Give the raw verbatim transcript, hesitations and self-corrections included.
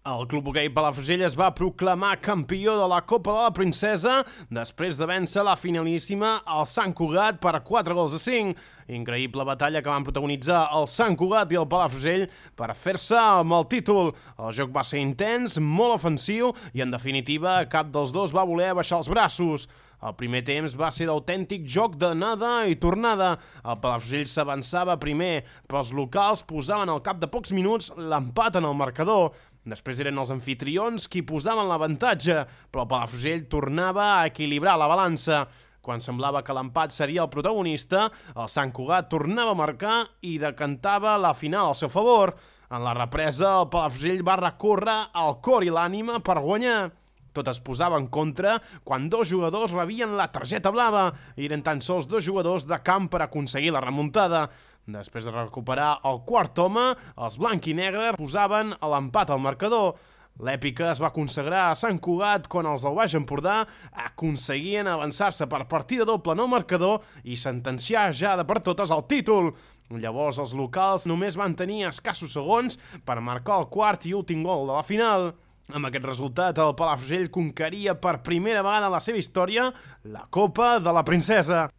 El Club Hoquei Palafrugell es va proclamar campió de la Copa de la Princesa després de vèncer la finalíssima al Sant Cugat per quatre gols a cinc. Increïble batalla que van protagonitzar el Sant Cugat i el Palafrugell per fer-se amb el títol. El joc va ser intens, molt ofensiu i, en definitiva, cap dels dos va voler baixar els braços. El primer temps va ser d'autèntic joc d'anada i tornada. El Palafrugell s'avançava primer, però els locals posaven al cap de pocs minuts l'empat en el marcador. Després eren els anfitrions qui posaven l'avantatge, però el Palafrugell tornava a equilibrar la balança. Quan semblava que l'empat seria el protagonista, el Sant Cugat tornava a marcar i decantava la final al seu favor. En la represa, el Palafrugell va recórrer al cor i l'ànima per guanyar. Tot es posava en contra quan dos jugadors rebien la targeta blava i eren tan sols dos jugadors de camp per aconseguir la remuntada. Després de recuperar el quart home, els blanc i negre posaven l'empat al marcador. L'èpica es va consagrar a Sant Cugat quan els del Baix Empordà aconseguien avançar-se per partida doble en el marcador i sentenciar ja de per totes el títol. Llavors els locals només van tenir escassos segons per marcar el quart i últim gol de la final. Amb aquest resultat, el Palafrugell conqueria per primera vegada en la seva història la Copa de la Princesa.